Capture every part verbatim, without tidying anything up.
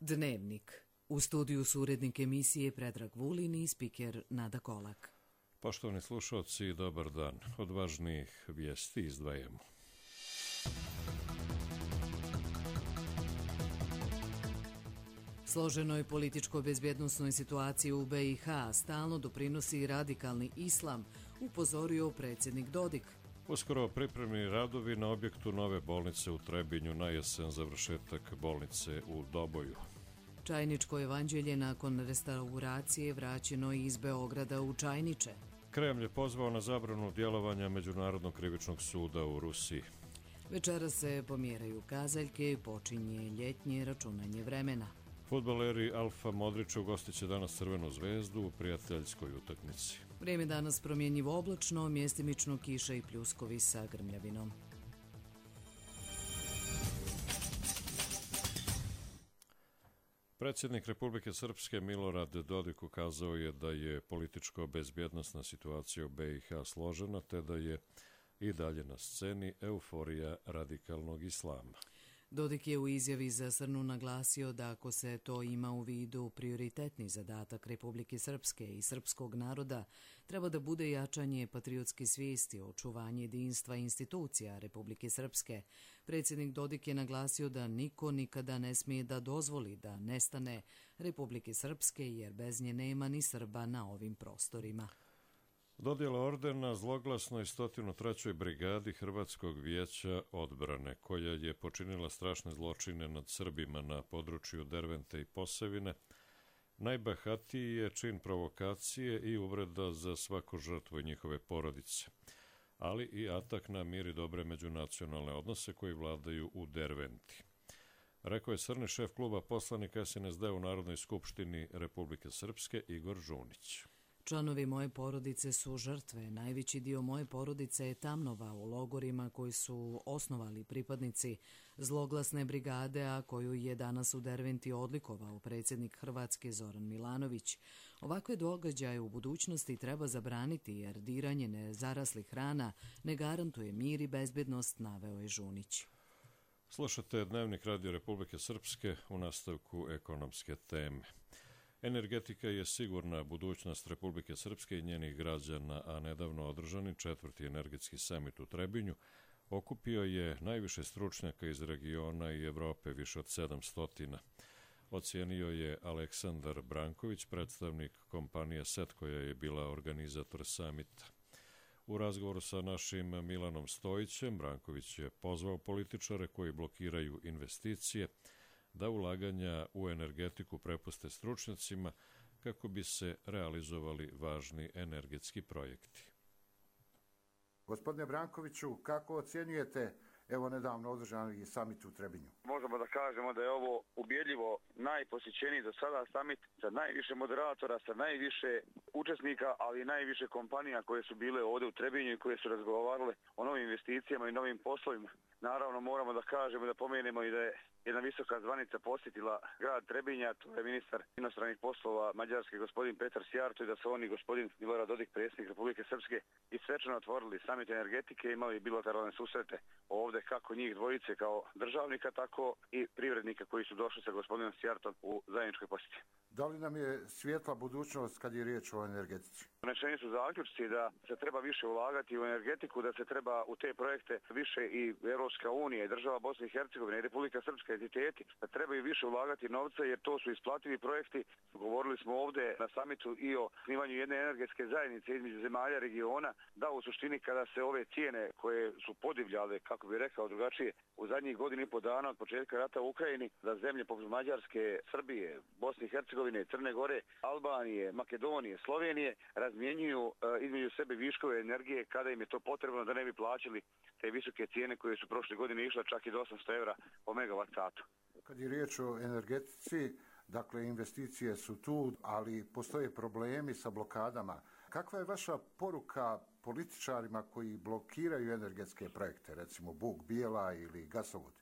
Dnevnik. U studiju su urednik emisije Predrag Vulin i spiker Nada Kolak. Poštovani slušalci, dobar dan. Od važnijih vijesti izdvajamo. Složenoj političko-bezbjednosnoj situaciji u be i ha stalno doprinosi radikalni islam, upozorio predsjednik Dodik. Uskoro pripremni radovi na objektu nove bolnice u Trebinju, na jesen završetak bolnice u Doboju. Čajničko evanđelje nakon restauracije vraćeno iz Beograda u Čajniče. Kremlj je pozvao na zabranu djelovanja Međunarodnog krivičnog suda u Rusiji. Večera se pomjeraju kazaljke i počinje ljetnje računanje vremena. Fudbaleri Alfa Modrića ugostit će danas Crvenu zvezdu u prijateljskoj utakmici. Vrijeme danas promjenjivo oblačno, mjestimično kiša i pljuskovi sa grmljavinom. Predsjednik Republike Srpske Milorad Dodik ukazao je da je političko-bezbjednosna situacija u be i ha složena, te da je i dalje na sceni euforija radikalnog islama. Dodik je u izjavi za Srnu naglasio da ako se to ima u vidu, prioritetni zadatak Republike Srpske i srpskog naroda treba da bude jačanje patriotske svijesti, očuvanje jedinstva institucija Republike Srpske. Predsjednik Dodik je naglasio da niko nikada ne smije da dozvoli da nestane Republike Srpske, jer bez nje nema ni Srba na ovim prostorima. Dodjela ordena zloglasnoj sto trećoj brigadi Hrvatskog vijeća odbrane, koja je počinila strašne zločine nad Srbima na području Dervente i Posavine, najbahatiji je čin provokacije i uvreda za svaku žrtvu i njihove porodice, ali i atak na mir i dobre međunacionalne odnose koji vladaju u Derventi. Rekao je srni šef kluba poslanika es en es de u Narodnoj skupštini Republike Srpske Igor Žunić. Članovi moje porodice su žrtve. Najveći dio moje porodice je tamnovao u logorima koji su osnovali pripadnici zloglasne brigade, a koju je danas u Derventi odlikovao predsjednik Hrvatske Zoran Milanović. Ovakve događaje u budućnosti treba zabraniti, jer diranje nezaraslih rana ne garantuje mir i bezbjednost, naveo je Žunić. Slušate Dnevnik Radio Republike Srpske, u nastavku ekonomske teme. Energetika je sigurna budućnost Republike Srpske i njenih građana, a nedavno održani četvrti energetski samit u Trebinju okupio je najviše stručnjaka iz regiona i Evrope, više od sedamstotina. Ocijenio je Aleksandar Branković, predstavnik kompanije set koja je bila organizator samita. U razgovoru sa našim Milanom Stojićem, Branković je pozvao političare koji blokiraju investicije da ulaganja u energetiku prepuste stručnjacima kako bi se realizovali važni energetski projekti. Gospodine Brankoviću, kako ocjenjujete evo nedavno održani samit u Trebinju? Možemo da kažemo da je ovo ubjedljivo najposjećeniji do sada samit sa najviše moderatora, sa najviše učesnika, ali i najviše kompanija koje su bile ovdje u Trebinju i koje su razgovarale o novim investicijama i novim poslovima. Naravno moramo da kažemo i da pomenemo i da je jedna visoka zvanica posjetila grad Trebinja, to je ministar inostranih poslova Mađarske gospodin Petar Sjarto, i da su oni gospodin Milorad Dodik, predsjednik Republike Srpske, i svečano otvorili samit energetike, imali bilateralne susrete ovdje kako njih dvojice kao državnika, tako i privrednika koji su došli sa gospodinom Sjartom u zajedničkoj posjeti. Da li nam je svijetla budućnost kad je riječ o energetici? Donešeni su zaključci da se treba više ulagati u energetiku, da se treba u te projekte više i Europska unija i država Bosne i Hercegovine i Republika Srpska entiteti, da trebaju više ulagati novca, jer to su isplativi projekti. Govorili smo ovdje na samitu i o snimanju jedne energetske zajednice između zemalja regiona, da u suštini kada se ove cijene koje su podivljale, kako bi rekao drugačije, u zadnjih godinu i po dana od početka rata u Ukrajini, da zemlje poput Mađarske, Srbije, Bosne i Hercegovine, Crne Gore, Albanije, Makedonije, Slovenije razmjenjuju e, između sebe viškove energije kada im je to potrebno, da ne bi plaćali te visoke cijene koje su prošle godine išle čak i do osamsto evra po megavat satu. Kad je riječ o energetici, dakle investicije su tu, ali postoje problemi sa blokadama. Kakva je vaša poruka političarima koji blokiraju energetske projekte, recimo Bug Bijela ili gasovod?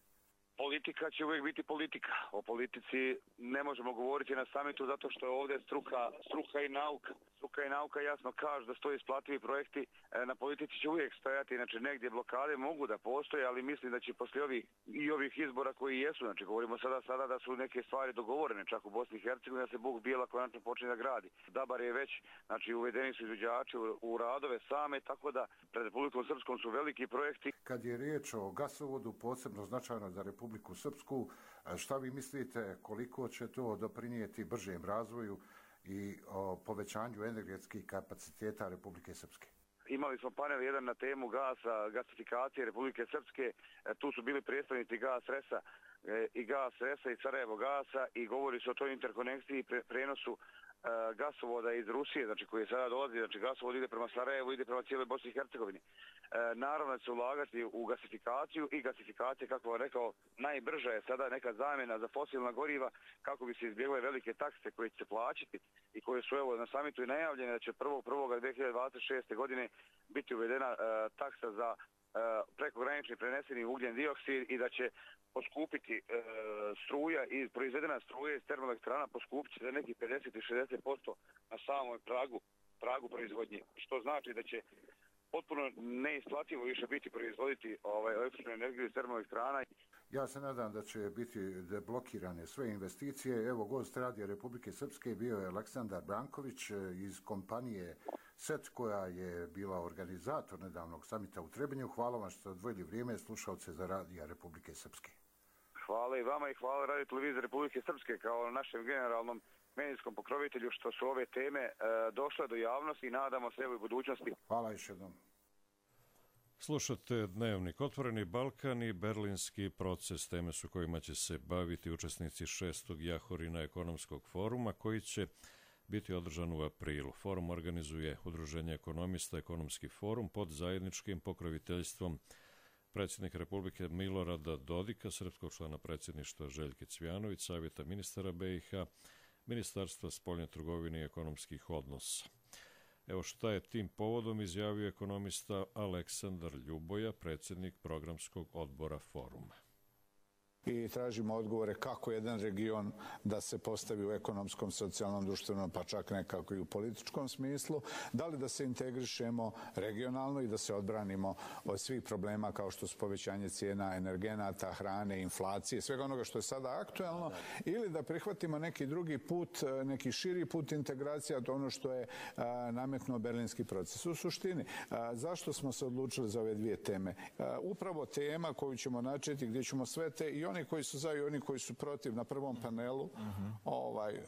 Politika će uvijek biti politika. O politici ne možemo govoriti na samitu zato što je ovdje struka, struka i nauka. Struka i nauka jasno kažu da su to isplativi projekti, na politici će uvijek stojati, znači negdje blokade mogu da postoje, ali mislim da će poslije ovih i ovih izbora koji jesu, znači govorimo sada sada da su neke stvari dogovorene čak u Bosni i Hercegovini, da se Buk Bijela konačno počne da gradi. Dabar je već, znači uvedeni su izvođači u, u radove same, tako da pred Republikom Srpskom su veliki projekti. Kad je riječ o gasovodu, posebno značajno za Republiku Srpsku, šta vi mislite koliko će to doprinijeti bržem razvoju i o povećanju energetskih kapaciteta Republike Srpske? Imali smo panel jedan na temu gasa, gasifikacije Republike Srpske, tu su bili predstavnici Gas Resa i Gas Resa i Sarajevo Gasa i govori se o toj interkonekciji i pre, prenosu gasovoda iz Rusije, znači koji je sada dolazi, znači gasovod ide prema Sarajevu, ide prema cijeloj Bosni i Hercegovini. E, naravno da će se ulagati u gasifikaciju i gasifikacija, kako vam rekao, najbrža je sada neka zamjena za fosilna goriva kako bi se izbjegle velike takse koje će se plaćati i koje su evo na samitu i najavljene da će prvog prvog dvije hiljade dvadeset šeste. godine biti uvedena e, taksa za prekogranični preneseni ugljen dioksid i da će poskupiti e, struja i proizvedena struja iz termoelektrana poskupiti za nekih pedeset do šezdeset posto na samom pragu, pragu proizvodnje, što znači da će potpuno neisplativo više biti proizvoditi ovaj, električnu energiju iz termoelektrana. Ja se nadam da će biti deblokirane sve investicije. Evo, gost Radija Republike Srpske bio je Aleksandar Branković iz kompanije S E T koja je bila organizator nedavnog samita u Trebinju. Hvala vam što ste odvojili vrijeme slušalce za Radija Republike Srpske. Hvala i vama i hvala Radio Televizije Republike Srpske kao našem generalnom medijskom pokrovitelju što su ove teme e, došle do javnosti i nadamo se u budućnosti. Hvala još jednom. Slušate Dnevnik Otvoreni Balkan i Berlinski proces, teme su kojima će se baviti učesnici šestog Jahorina ekonomskog foruma koji će biti održan u aprilu. Forum organizuje Udruženje ekonomista Ekonomski forum pod zajedničkim pokroviteljstvom predsjednika Republike Milorada Dodika, srpskog člana predsjedništva Željke Cvjanović, Savjeta ministara be i ha, Ministarstva spoljne trgovine i ekonomskih odnosa. Evo šta je tim povodom izjavio ekonomista Aleksandar Ljuboja, predsjednik programskog odbora foruma. I tražimo odgovore kako jedan region da se postavi u ekonomskom, socijalnom, društvenom, pa čak nekako i u političkom smislu, da li da se integrišemo regionalno i da se odbranimo od svih problema kao što su povećanje cijena energenata, hrane, inflacije, svega onoga što je sada aktuelno, ili da prihvatimo neki drugi put, neki širi put integracija, to ono što je a, nametnuo berlinski proces. U suštini, a, zašto smo se odlučili za ove dvije teme? A, upravo tema koju ćemo načeti, gdje ćemo sve te i oni koji su za i oni koji su protiv na prvom panelu uh-huh. ovaj, uh,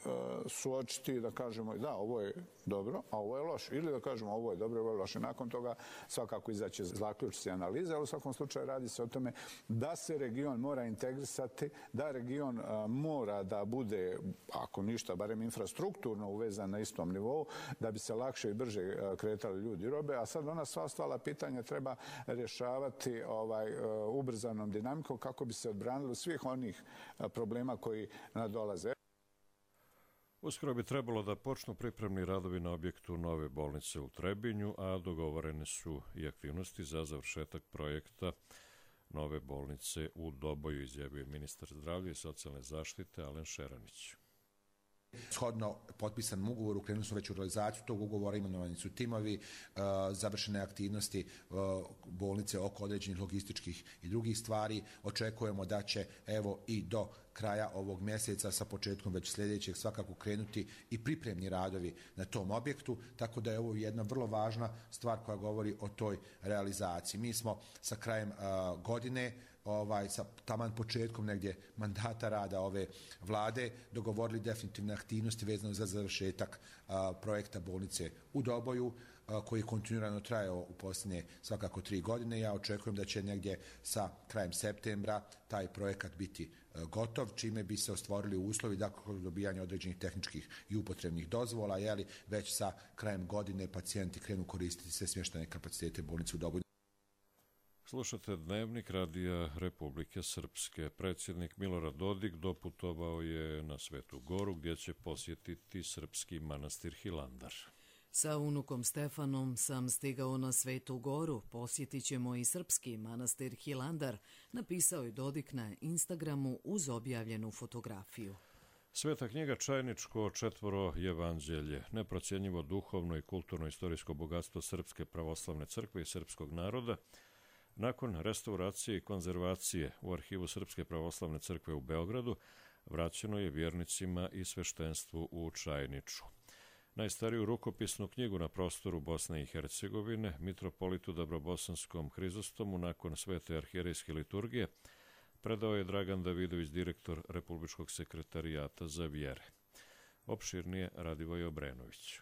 suočiti da kažemo da ovo je dobro, a ovo je loše. Ili da kažemo ovo je dobro, ovo je loše. Nakon toga svakako izaće zaključci analize, ali u svakom slučaju radi se o tome da se region mora integrisati, da region uh, mora da bude, ako ništa, barem infrastrukturno uvezan na istom nivou, da bi se lakše i brže uh, kretali ljudi i robe, a sad ona sva ostala pitanja treba rješavati ovaj, uh, ubrzanom dinamikom kako bi se odbranili svih onih problema koji nadolaze. Uskoro bi trebalo da počnu pripremni radovi na objektu nove bolnice u Trebinju, a dogovorene su i aktivnosti za završetak projekta nove bolnice u Doboju, izjavio ministar zdravlja i socijalne zaštite Alen Šeranić. Shodno potpisanom ugovoru krenuli smo već u realizaciju tog ugovora, imenovani su timovi, završene aktivnosti bolnice oko određenih logističkih i drugih stvari. Očekujemo da će evo i do kraja ovog mjeseca sa početkom već sljedećeg svakako krenuti i pripremni radovi na tom objektu, tako da je ovo jedna vrlo važna stvar koja govori o toj realizaciji. Mi smo sa krajem uh, godine ovaj, sa taman početkom negdje mandata rada ove vlade dogovorili definitivne aktivnosti vezano za završetak a, projekta bolnice u Doboju, a, koji je kontinuirano trajao u posljednje svakako tri godine. Ja očekujem da će negdje sa krajem septembra taj projekat biti a, gotov, čime bi se ostvorili uslovi dakle dobijanja određenih tehničkih i upotrebnih dozvola, jeli već sa krajem godine pacijenti krenu koristiti sve smještajne kapacitete bolnice u Doboju. Slušate Dnevnik Radija Republike Srpske. Predsjednik Milorad Dodik doputovao je na Svetu Goru gdje će posjetiti srpski manastir Hilandar. Sa unukom Stefanom sam stigao na Svetu Goru, posjetit ćemo i srpski manastir Hilandar, napisao je Dodik na Instagramu uz objavljenu fotografiju. Sveta knjiga Čajničko četvoro evanđelje, neprocjenjivo duhovno i kulturno-istorijsko bogatstvo Srpske pravoslavne crkve i srpskog naroda, nakon restauracije i konzervacije u arhivu Srpske pravoslavne crkve u Beogradu, vraćeno je vjernicima i sveštenstvu u Čajniču. Najstariju rukopisnu knjigu na prostoru Bosne i Hercegovine, mitropolitu Dabrobosanskom Hrizostomu nakon svete arhijerejske liturgije, predao je Dragan Davidović, direktor Republičkog sekretarijata za vjere. Opširnije Radivoj Obrenović.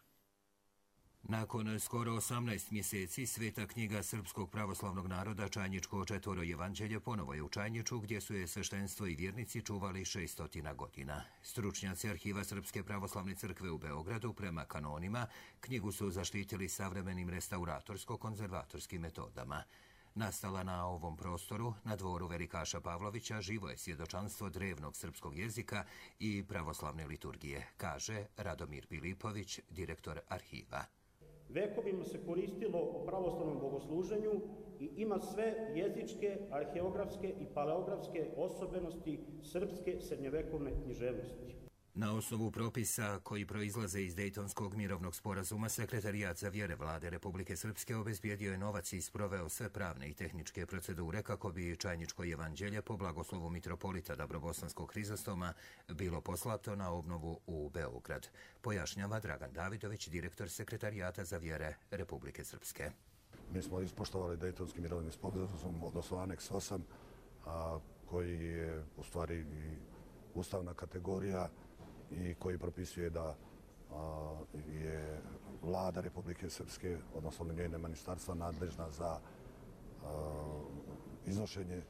Nakon skoro osamnaest mjeseci, sveta knjiga Srpskog pravoslavnog naroda Čajničko četvoro evanđelje ponovo je u Čajniču, gdje su je sveštenstvo i vjernici čuvali šestotina godina. Stručnjaci arhiva Srpske pravoslavne crkve u Beogradu prema kanonima knjigu su zaštitili savremenim restauratorsko-konzervatorskim metodama. Nastala na ovom prostoru, na dvoru velikaša Pavlovića, živo je svjedočanstvo drevnog srpskog jezika i pravoslavne liturgije, kaže Radomir Pilipović, direktor arhiva. Vekovima se koristilo u pravoslavnom bogosluženju i ima sve jezičke, arheografske i paleografske osobenosti srpske srednjevekovne književnosti. Na osnovu propisa koji proizlaze iz Dejtonskog mirovnog sporazuma, Sekretarijat za vjere Vlade Republike Srpske obezbijedio je novac i sproveo sve pravne i tehničke procedure kako bi Čajničko evanđelje po blagoslovu mitropolita Dabrobosanskog Hrizostoma bilo poslato na obnovu u Beograd, pojašnjava Dragan Davidović, direktor Sekretarijata za vjere Republike Srpske. Mi smo ispoštovali Dejtonski mirovni sporazum, odnosno aneks osam, a, koji je u stvari i ustavna kategorija i koji propisuje da a, je Vlada Republike Srpske, odnosno njene ministarstva, nadležna za a, iznošenje,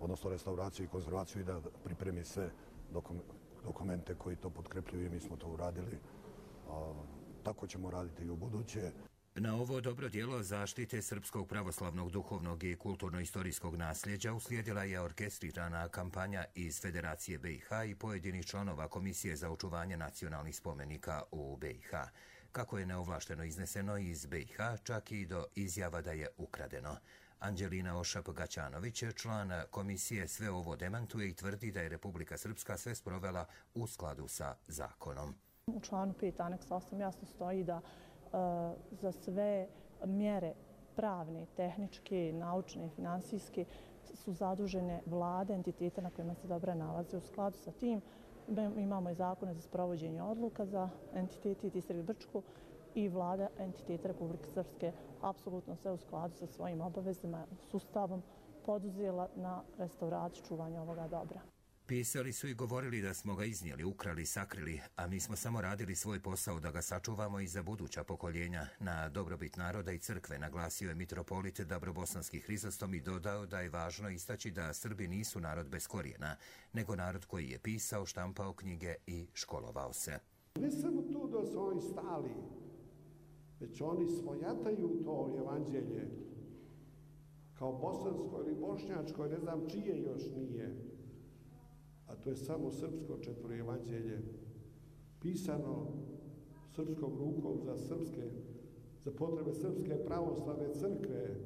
odnosno restauraciju i konzervaciju i da pripremi sve dokum, dokumente koji to potkrepljuju i mi smo to uradili. A, tako ćemo raditi i u buduće. Na ovo dobro djelo zaštite srpskog pravoslavnog duhovnog i kulturno-istorijskog nasljeđa uslijedila je orkestrirana kampanja iz Federacije B i H i pojedinih članova Komisije za očuvanje nacionalnih spomenika u B i H. Kako je neovlašteno izneseno iz B i H, čak i do izjava da je ukradeno. Anđelina Ošap-Gaćanović, član komisije, sve ovo demantuje i tvrdi da je Republika Srpska sve sprovela u skladu sa zakonom. U članu pet aneks osam jasno stoji da za sve mjere pravne, tehničke, naučne i finansijske su zadužene vlade, entitete na kojima se dobro nalaze. U skladu sa tim imamo i zakone za sprovođenje odluka za entitete i Distrikt Brčko i vlada entiteta Republike Srpske apsolutno sve u skladu sa svojim obavezama, sustavom poduzela na restauraciju čuvanja ovoga dobra. Pisali su i govorili da smo ga iznijeli, ukrali, sakrili, a mi smo samo radili svoj posao da ga sačuvamo i za buduća pokoljenja. Na dobrobit naroda i crkve naglasio je mitropolit Dabrobosanski Hrizostom i dodao da je važno istaći da Srbi nisu narod bez korijena, nego narod koji je pisao, štampao knjige i školovao se. Ne samo to da su oni stali, već oni svojataju to evanđelje kao bosansko ili bošnjačko, ne znam čije još nije. A to je samo srpsko četvoro evanđelje, pisano srpskom rukom za srpske, za potrebe Srpske pravoslavne crkve,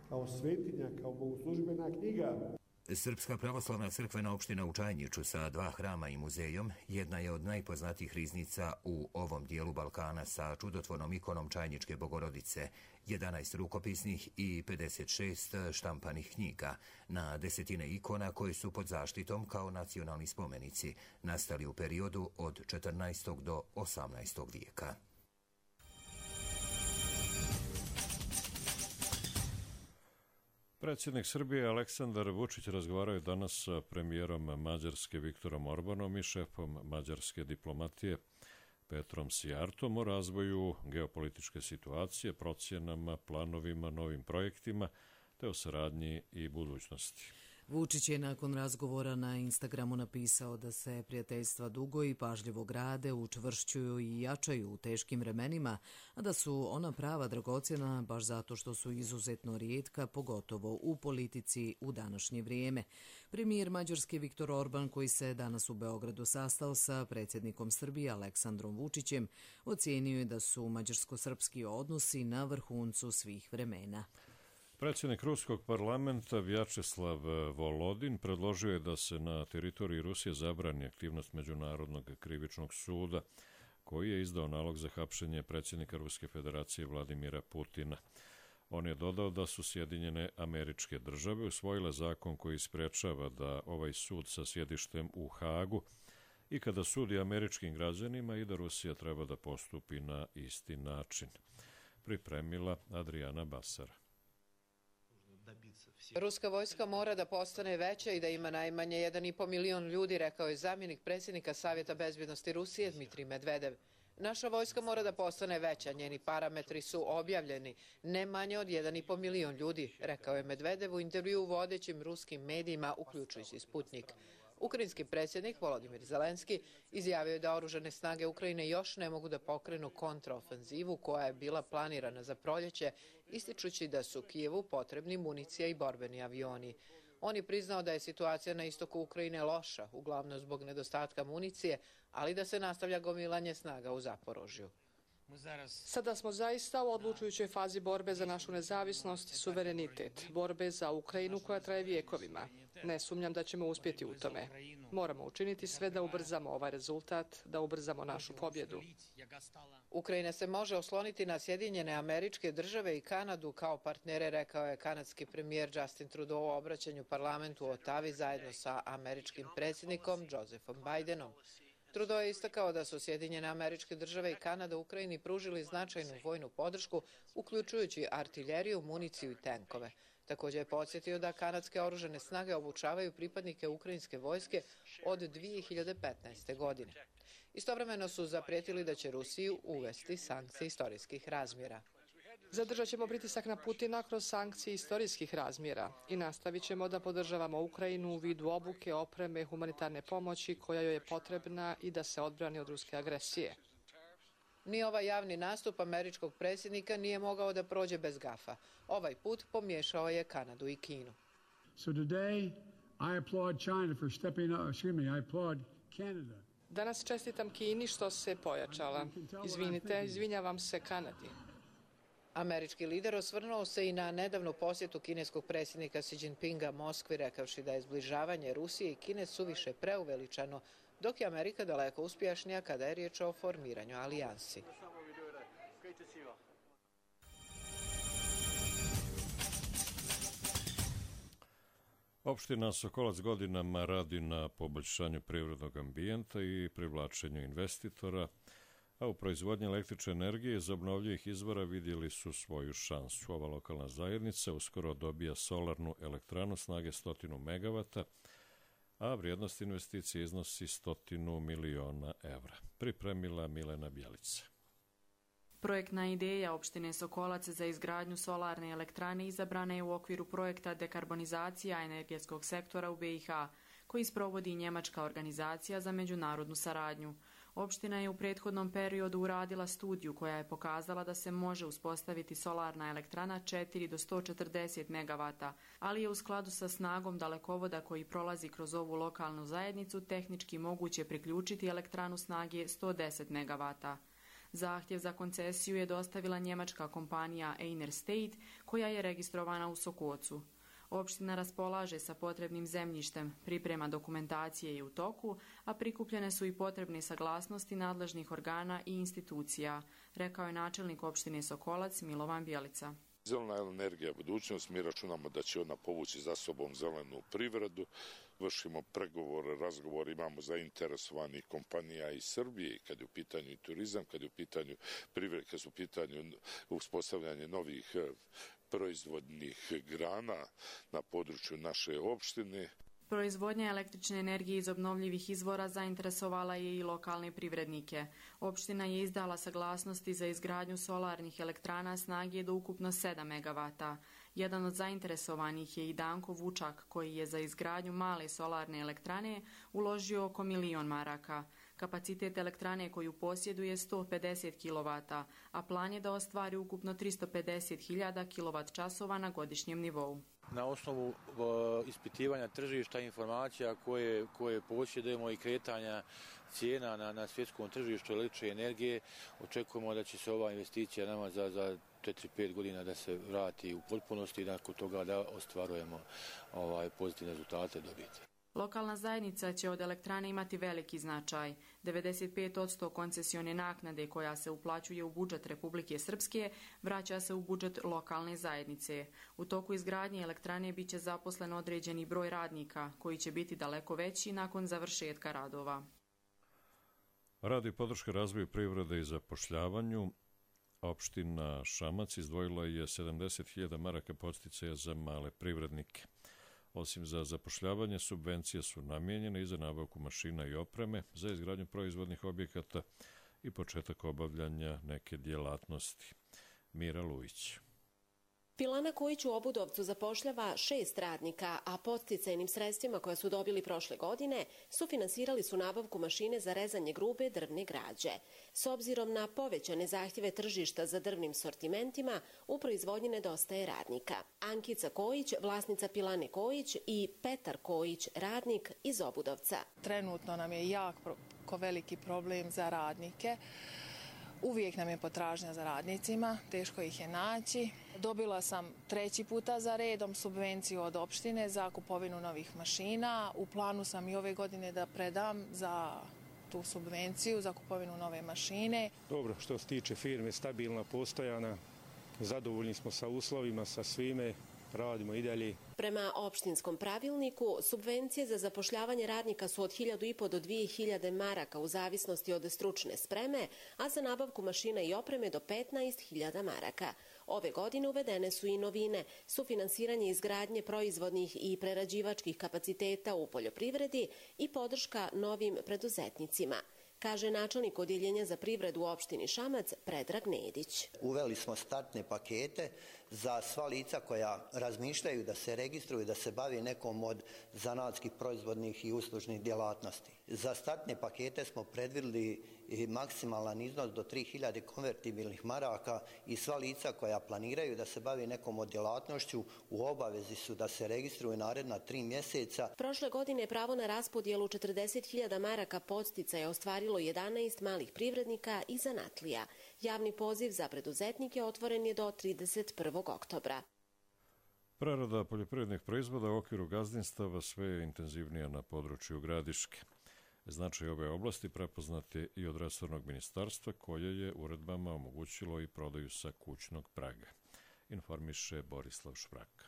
kao svetinja, kao bogoslužbena knjiga. Srpska pravoslavna crkvena opština u Čajniču sa dva hrama i muzejom jedna je od najpoznatijih riznica u ovom dijelu Balkana sa čudotvornom ikonom Čajničke Bogorodice, jedanaest rukopisnih i pedeset šest štampanih knjiga, na desetine ikona koje su pod zaštitom kao nacionalni spomenici, nastali u periodu od četrnaestog do osamnaestog vijeka. Predsjednik Srbije Aleksandar Vučić razgovarao je danas sa premijerom Mađarske Viktorom Orbanom i šefom mađarske diplomatije Petrom Sijartom o razvoju geopolitičke situacije, procjenama, planovima, novim projektima te o saradnji i budućnosti. Vučić je nakon razgovora na Instagramu napisao da se prijateljstva dugo i pažljivo grade, učvršćuju i jačaju u teškim vremenima, a da su ona prava dragocjena baš zato što su izuzetno rijetka, pogotovo u politici u današnje vrijeme. Premijer Mađarske Viktor Orban, koji se danas u Beogradu sastao sa predsjednikom Srbije Aleksandrom Vučićem, ocijenio je da su mađarsko-srpski odnosi na vrhuncu svih vremena. Predsjednik Ruskog parlamenta Vjačeslav Volodin predložio je da se na teritoriji Rusije zabrani aktivnost Međunarodnog krivičnog suda, koji je izdao nalog za hapšenje predsjednika Ruske federacije Vladimira Putina. On je dodao da su Sjedinjene Američke Države usvojile zakon koji sprečava da ovaj sud sa sjedištem u Hagu i kada sudi američkim građanima i da Rusija treba da postupi na isti način. Pripremila Adriana Basara. Ruska vojska mora da postane veća i da ima najmanje jedan i po milion ljudi, rekao je zamjenik predsjednika Savjeta bezbjednosti Rusije Dmitrij Medvedev. Naša vojska mora da postane veća, njeni parametri su objavljeni, ne manje od jedan i po milion ljudi, rekao je Medvedev u intervju u vodećim ruskim medijima, uključujući Sputnik. Ukrajinski predsjednik Volodimir Zelenski izjavio je da oružane snage Ukrajine još ne mogu da pokrenu kontraofenzivu koja je bila planirana za proljeće, ističući da su Kijevu potrebni municija i borbeni avioni. On je priznao da je situacija na istoku Ukrajine loša, uglavnom zbog nedostatka municije, ali da se nastavlja gomilanje snaga u Zaporožju. Sada smo zaista u odlučujućoj fazi borbe za našu nezavisnost i suverenitet, borbe za Ukrajinu koja traje vjekovima. Ne sumnjam da ćemo uspjeti u tome. Moramo učiniti sve da ubrzamo ovaj rezultat, da ubrzamo našu pobjedu. Ukrajina se može osloniti na Sjedinjene Američke Države i Kanadu kao partnere, rekao je kanadski premijer Justin Trudeau u obraćanju parlamentu u Otavi zajedno sa američkim predsjednikom Josephom Bidenom. Trudeau je istakao da su Sjedinjene Američke Države i Kanada Ukrajini pružili značajnu vojnu podršku, uključujući artiljeriju, municiju i tenkove. Također je podsjetio da kanadske oružane snage obučavaju pripadnike ukrajinske vojske od dvije hiljade petnaeste. godine. Istovremeno su zaprijetili da će Rusiju uvesti sankcije istorijskih razmjera. Zadržat ćemo pritisak na Putina kroz sankcije istorijskih razmjera i nastavit ćemo da podržavamo Ukrajinu u vidu obuke, opreme, humanitarne pomoći koja joj je potrebna i da se odbrani od ruske agresije. Ni ovaj javni nastup američkog predsjednika nije mogao da prođe bez gafa. Ovaj put pomiješao je Kanadu i Kinu. So today I applaud China for stepping up, excuse me, I applaud Canada. Danas čestitam Kini što se pojačala. Izvinite, izvinjavam se Kanadi. Američki lider osvrnuo se i na nedavnu posjetu kineskog predsjednika Xi Jinpinga Moskvi, rekavši da je zbližavanje Rusije i Kine suviše preuveličano, dok je Amerika daleko uspješnija kada je riječ o formiranju alijansi. Opština Sokolac godinama radi na poboljšanju privrednog ambijenta i privlačenju investitora, a u proizvodnji električne energije iz obnovljivih izvora vidjeli su svoju šansu. Ova lokalna zajednica uskoro dobija solarnu elektranu snage stotinu megavata, a vrijednost investicije iznosi stotinu miliona evra. Pripremila Milena Bjelica. Projektna ideja opštine Sokolac za izgradnju solarne elektrane izabrana je u okviru projekta Dekarbonizacija energetskog sektora u be i ha, koji sprovodi njemačka organizacija za međunarodnu saradnju. Opština je u prethodnom periodu uradila studiju koja je pokazala da se može uspostaviti solarna elektrana četiri do sto četrdeset megavata, ali je u skladu sa snagom dalekovoda koji prolazi kroz ovu lokalnu zajednicu tehnički moguće priključiti elektranu snage sto deset megavata. Zahtjev za koncesiju je dostavila njemačka kompanija Einer State, koja je registrovana u Sokocu. Opština raspolaže sa potrebnim zemljištem, priprema dokumentacije je u toku, a prikupljene su i potrebne saglasnosti nadležnih organa i institucija, rekao je načelnik opštine Sokolac Milovan Bjelica. Zelena energija je budućnost, mi računamo da će ona povući za sobom zelenu privredu, vršimo pregovore, razgovor, imamo zainteresovanih kompanija iz Srbije, kad je u pitanju turizam, kad je u pitanju privreda, kad su u pitanju uspostavljanje novih proizvodnih grana na području naše opštine. Proizvodnja električne energije iz obnovljivih izvora zainteresovala je i lokalne privrednike. Opština je izdala saglasnosti za izgradnju solarnih elektrana snage do ukupno sedam megavata. Jedan od zainteresovanih je i Danko Vučak, koji je za izgradnju male solarne elektrane uložio oko milion maraka. Kapacitet elektrane koju posjeduje sto pedeset kilovata, a plan je da ostvari ukupno tristo pedeset hiljada kilovat časova na godišnjem nivou. Na osnovu uh, ispitivanja tržišta, informacija koje, koje posjedujemo i kretanja cijena na, na svjetskom tržištu električne energije, očekujemo da će se ova investicija nama za, za četiri pet godina da se vrati u potpunosti i nakon toga da ostvarujemo ovaj, pozitivne rezultate dobiti. Lokalna zajednica će od elektrane imati veliki značaj. devedeset pet posto koncesione naknade koja se uplaćuje u budžet Republike Srpske vraća se u budžet lokalne zajednice. U toku izgradnje elektrane biće zaposlen određeni broj radnika koji će biti daleko veći nakon završetka radova. Radi podrške razvoju privrede i zapošljavanju, opština Šamac izdvojila je sedamdeset hiljada maraka podsticaja za male privrednike. Osim za zapošljavanje, subvencije su namijenjene i za nabavku mašina i opreme, za izgradnju proizvodnih objekata i početak obavljanja neke djelatnosti. Mira Lujić. Pilana Kojić u Obudovcu zapošljava šest radnika, a podsticajnim sredstvima koje su dobili prošle godine sufinansirali su nabavku mašine za rezanje grube drvne građe. S obzirom na povećane zahtjeve tržišta za drvnim sortimentima, u proizvodnji nedostaje radnika. Ankica Kojić, vlasnica Pilane Kojić, i Petar Kojić, radnik iz Obudovca. Trenutno nam je jako veliki problem za radnike. Uvijek nam je potražnja za radnicima, teško ih je naći. Dobila sam treći puta za redom subvenciju od opštine za kupovinu novih mašina. U planu sam i ove godine da predam za tu subvenciju, za kupovinu nove mašine. Dobro, što se tiče firme, stabilna, postojana, zadovoljni smo sa uslovima, sa svime. Radimo i dalje. Prema opštinskom pravilniku, subvencije za zapošljavanje radnika su od hiljadu i po do dvije hiljade maraka u zavisnosti od stručne spreme, a za nabavku mašina i opreme do petnaest hiljada maraka. Ove godine uvedene su i novine, sufinansiranje izgradnje proizvodnih i prerađivačkih kapaciteta u poljoprivredi i podrška novim preduzetnicima, kaže načelnik odjeljenja za privredu u opštini Šamac Predrag Nedić. Uveli smo startne pakete za sva lica koja razmišljaju da se registruju, da se bavi nekom od zanatskih proizvodnih i uslužnih djelatnosti. Za startne pakete smo predvidjeli maksimalan iznos do tri hiljade konvertibilnih maraka i sva lica koja planiraju da se bavi nekom od djelatnošću u obavezi su da se registruju naredna tri mjeseca. Prošle godine pravo na raspodjelu četrdeset hiljada maraka podsticaja je ostvarilo jedanaest malih privrednika i zanatlija. Javni poziv za preduzetnike otvoren je do trideset prvog oktobra. Prerada poljoprivrednih proizvoda u okviru gazdinstava sve je intenzivnija na području Gradiške. Značaj ove oblasti prepoznat je i od resornog ministarstva koje je uredbama omogućilo i prodaju sa kućnog praga, informiše Borislav Švraka.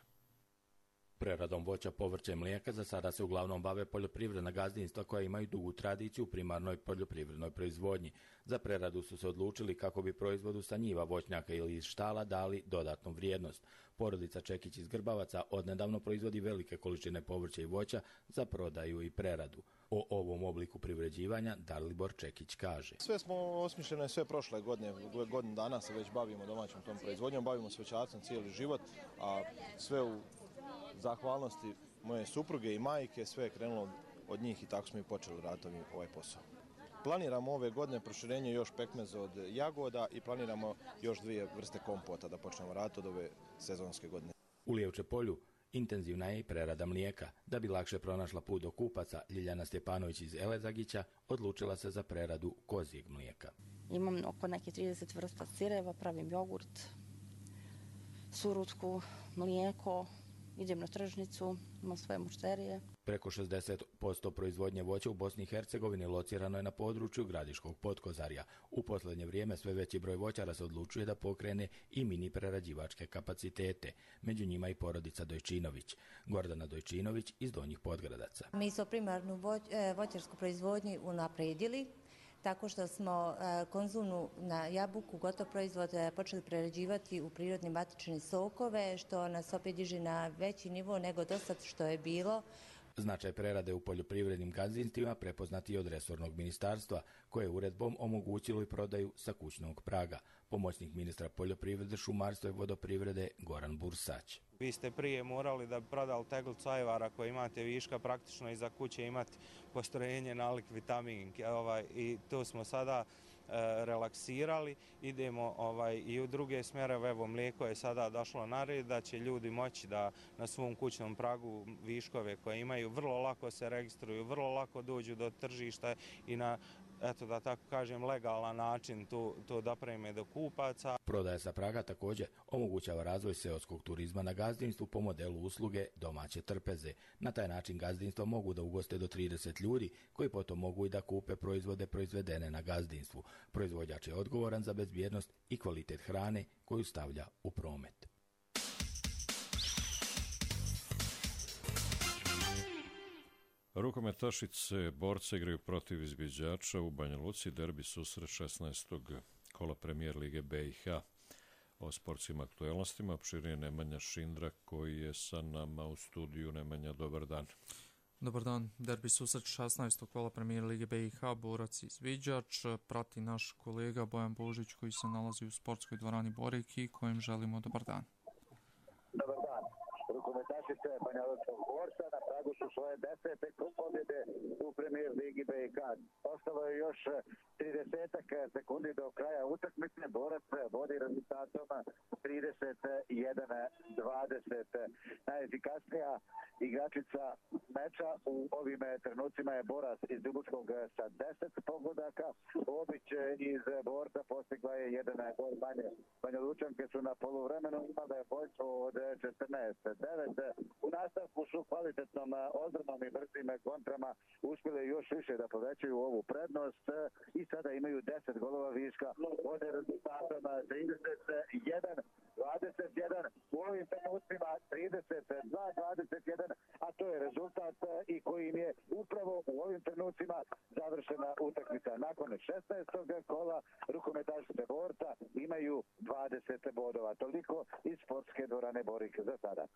Preradom voća, povrća i mlijeka za sada se uglavnom bave poljoprivredna gazdinstva koja imaju dugu tradiciju u primarnoj poljoprivrednoj proizvodnji. Za preradu su se odlučili kako bi proizvodu sa njiva, voćnjaka ili iz štala dali dodatnu vrijednost. Porodica Čekić iz Grbavaca odnedavno proizvodi velike količine povrća i voća za prodaju i preradu. O ovom obliku privređivanja Dalibor Čekić kaže. Sve smo osmišljene sve prošle godine, godinu dana se već bavimo domaćom tom proizvodnjom, bavimo se voćarstvom cijeli život, a sve u zahvalnosti moje supruge i majke, sve je krenulo od njih i tako smo i počeli raditi ovaj posao. Planiramo ove godine proširenje još pekmeza od jagoda i planiramo još dvije vrste kompota da počnemo raditi od ove sezonske godine. U Lijevče polju intenzivna je i prerada mlijeka. Da bi lakše pronašla put do kupaca, Ljiljana Stjepanović iz Elezagića odlučila se za preradu kozjeg mlijeka. Imam oko neke trideset vrsta sireva, pravim jogurt, surutku, mlijeko. Idem na tržnicu, imam svoje mušterije. Preko šezdeset posto proizvodnje voća u Bosni i Hercegovini locirano je na području Gradiškog Potkozarja. U posljednje vrijeme sve veći broj voćara se odlučuje da pokrene i mini prerađivačke kapacitete. Među njima i porodica Dojčinović. Gordana Dojčinović iz Donjih Podgradaca. Mi smo primarnu voćarsku proizvodnju unaprijedili tako što smo konzumnu na jabuku, gotov proizvod, počeli prerađivati u prirodne matične sokove, što nas opet diže na veći nivo nego dosad što je bilo. Značaj prerade u poljoprivrednim gazdinstvima prepoznati i od resornog ministarstva, koje je uredbom omogućilo i prodaju sa kućnog praga. Pomoćnik ministra poljoprivrede, šumarstva i vodoprivrede Goran Bursać. Vi ste prije morali da bi prodali teglicu ajvara koje imate viška praktično iza kuće imati postrojenje nalik vitamin. Ovaj, I to smo sada relaksirali. Idemo ovaj, i u druge smjerove, evo mlijeko je sada došlo na red, da će ljudi moći da na svom kućnom pragu viškove koje imaju vrlo lako se registruju, vrlo lako dođu do tržišta i na, eto da tako kažem, legalan način to, to dopreme do kupaca. Prodaja sa praga također omogućava razvoj seoskog turizma na gazdinstvu po modelu usluge domaće trpeze. Na taj način gazdinstva mogu da ugoste do trideset ljudi koji potom mogu i da kupe proizvode proizvedene na gazdinstvu. Proizvođač je odgovoran za bezbjednost i kvalitet hrane koju stavlja u promet. Rukometašice borce igraju protiv izviđača u Banja Luci, derbi susret šesnaestog kola Premijer Lige B i H. O sportskim aktuelnostima opširnije Nemanja Šindra koji je sa nama u studiju. Nemanja, dobar dan. Dobar dan. Derbi susret šesnaestog kola Premijer Lige B i H, borac i izviđač, prati naš kolega Bojan Božić koji se nalazi u sportskoj dvorani Borik i kojem želimo dobar dan. Dobar dan. Rukometašice Banja Lučkog borca na pragu su svoje desete pobjede u Premijer Ligi B i K. Ostalo je još trideset sekundi do kraja utakmice. Borac vodi rezultatom trideset jedan dvadeset. Najefikasnija igračica meča u ovim trenucima je Borac iz Ljubuškog sa deset pogodaka. Obić iz Borca postigla je jedan gol manje. Banja Lučanke su na poluvremenu imale boljstvo od četrnaest devet. U nastavku su kvalitetnom odbranom i brzim kontrama uspjeli još više da povećaju ovu prednost i sada imaju deset golova viška od rezultatom trideset jedan dvadeset jedan. U ovim trenucima trideset dva dvadeset jedan, a to je rezultat i kojim je upravo u ovim trenucima završena utakmica. Nakon šesnaestog kola rukometašice Borca imaju dvadeset bodova. Toliko iz sportske dvorane Borik za sada.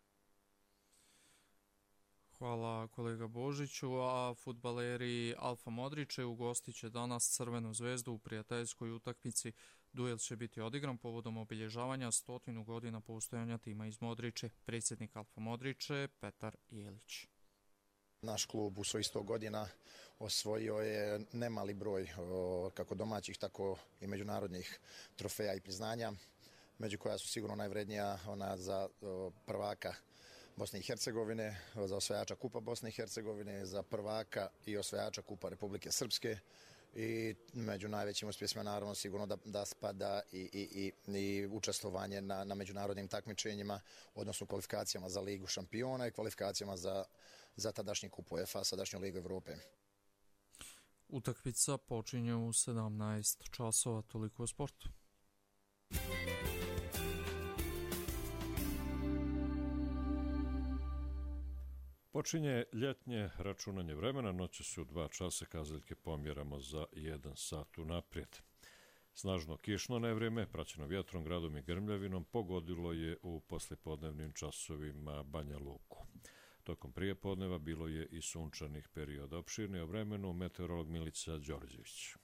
Hvala kolega Božiću, a fudbaleri Alfa Modriče ugostit će danas Crvenu zvezdu u prijateljskoj utakmici. Duel će biti odigran povodom obilježavanja stotinu godina postojanja tima iz Modriče. Predsjednik Alfa Modriče Petar Jelić. Naš klub u svojih sto godina osvojio je nemali broj kako domaćih, tako i međunarodnih trofeja i priznanja, među koja su sigurno najvrednija ona za prvaka Bosne i Hercegovine, za osvajača Kupa Bosne i Hercegovine, za prvaka i osvajača Kupa Republike Srpske i među najvećim uspjesima naravno sigurno da, da spada i, i, i, i učestvovanje na, na međunarodnim takmičenjima, odnosno kvalifikacijama za Ligu šampiona i kvalifikacijama za, za tadašnji Kup UEFA, sadašnju Ligu Evrope. Utakmica počinje u sedamnaest časova, toliko o sportu. Počinje ljetnje računanje vremena, noći su dva časa, kazaljke pomjeramo za jedan sat unaprijed. Snažno kišno nevrijeme, praćeno vjetrom, gradom i grmljavinom, pogodilo je u poslijepodnevnim časovima Banja Luku. Tokom prijepodneva bilo je i sunčanih perioda. Opširnije o vremenu meteorolog Milica Đorđević.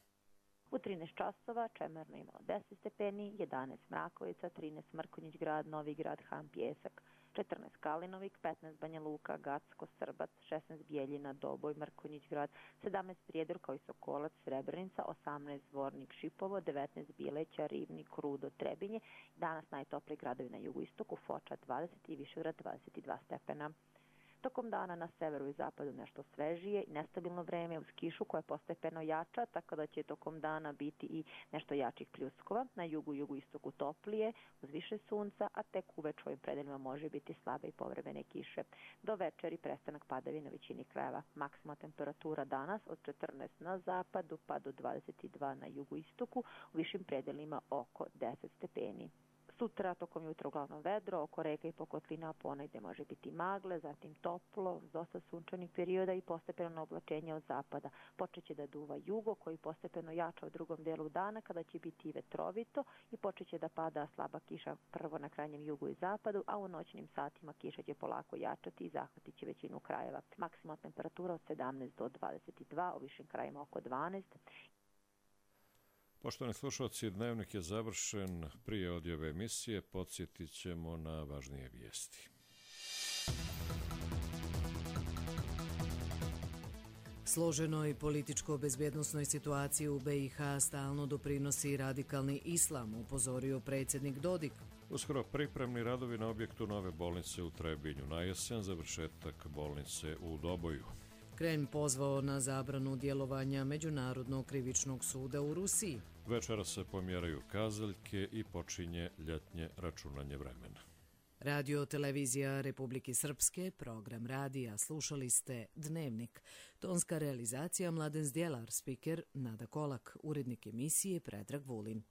U trinaest časova Čemerno imalo deset stepeni, jedanaest Mrakovica, trinaest Mrkonjić grad, Novi grad, Han, Pjesak, četrnaest Kalinovik, petnaest Banja Luka, Gacko, Srbac, šesnaest Bijeljina, Doboj, Mrkonjić grad, sedamnaest Prijedor kao i Sokolac, Srebrenica, osamnaest Zvornik, Šipovo, devetnaest Bileća, Rivnik, Rudo, Trebinje. Danas najtopliji gradovi na jugoistoku, Foča dvadeset i Višegrad dvadeset dva stepena. Tokom dana na severu i zapadu nešto svežije i nestabilno vreme uz kišu koja postepeno jača, tako da će tokom dana biti i nešto jačih pljuskova. Na jugu i jugoistoku toplije, uz više sunca, a tek uveč u ovim predeljima može biti slabe i povremene kiše. Do večeri prestanak padavina u većini krajeva. Maksimalna temperatura danas od četrnaest na zapadu pa do dvadeset dva na jugoistoku, u višim predelima oko deset stepeni. Sutra tokom jutra uglavnom vedro, oko reka i pokotlina ponegde može biti magle, zatim toplo, dosta sunčanih perioda i postepeno oblačenje od zapada. Počeće da duva jugo koji postepeno jača u drugom delu dana kada će biti vetrovito i počeće da pada slaba kiša prvo na krajnjem jugu i zapadu, a u noćnim satima kiša će polako jačati i zahvatit će većinu krajeva. Maksimalna temperatura od sedamnaest do dvadeset dva, u višim krajima oko dvanaest. Poštovani slušalci, dnevnik je završen. Prije odjave emisije podsjetit ćemo na važnije vijesti. Složenoj političko-bezbjednosnoj situaciji u B i H stalno doprinosi radikalni islam, upozorio predsjednik Dodik. Uskoro pripremni radovi na objektu nove bolnice u Trebinju, na jesen završetak bolnice u Doboju. Kremlj pozvao na zabranu djelovanja Međunarodnog krivičnog suda u Rusiji. Večera se pomjeraju kazaljke i počinje ljetnje računanje vremena. Radio televizija Republike Srpske, program radija, slušali ste Dnevnik. Tonska realizacija Mladen Zdjelar, spiker Nada Kolak, urednik emisije Predrag Vulin.